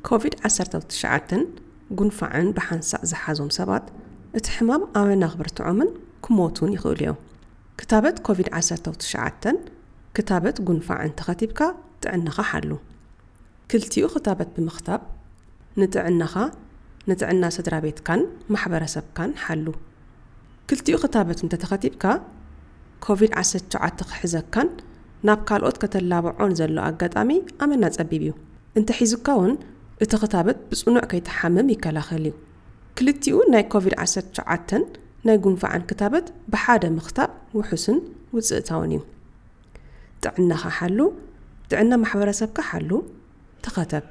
ኮቪድ ዓሰርተ ትሽዓተ ጉንፋዕን ብሓንሳእ ዝሓዞም ሰባት እቲ ሕማም ኣመና ክብርትዖምን ክሞቱን ይኽእሉ እዮም። ክታበት ኮቪድ ዓሰርተ ትሽዓተ ክታበት ጉንፋዕን ተኸቲብካ ጥዕናኻ ሓሉ። ክልቲኡ ክታበት ብምኽታብ ንጥዕናኻ፣ ንጥዕና ስድራ ቤትካን ማሕበረሰብካን ሓሉ። ክልቲኡ ክታበት እንተተኸቲብካ ኮቪድ ዓሰርተ ትሽዓተ ክሕዘካን ናብ ካልኦት ከተላብዖን ዘሎ ኣጋጣሚ ኣመና ጸቢብ እዩ። እንተሒዙካ እውን እቲ ክታበት ብጽኑዕ ከይትሓምም ይከላኸል እዩ። ክልቲኡ ናይ ኮቪድ ዓሰርተ ትሽዓተ ናይ ጉንፋዕን ክታበት ብሓደ ምኽታብ ውሑስን ውጽእታውን እዩ። ጥዕናኻ ሓሉ፣ ጥዕና ማሕበረሰብካ ሓሉ፣ ተኸተብ።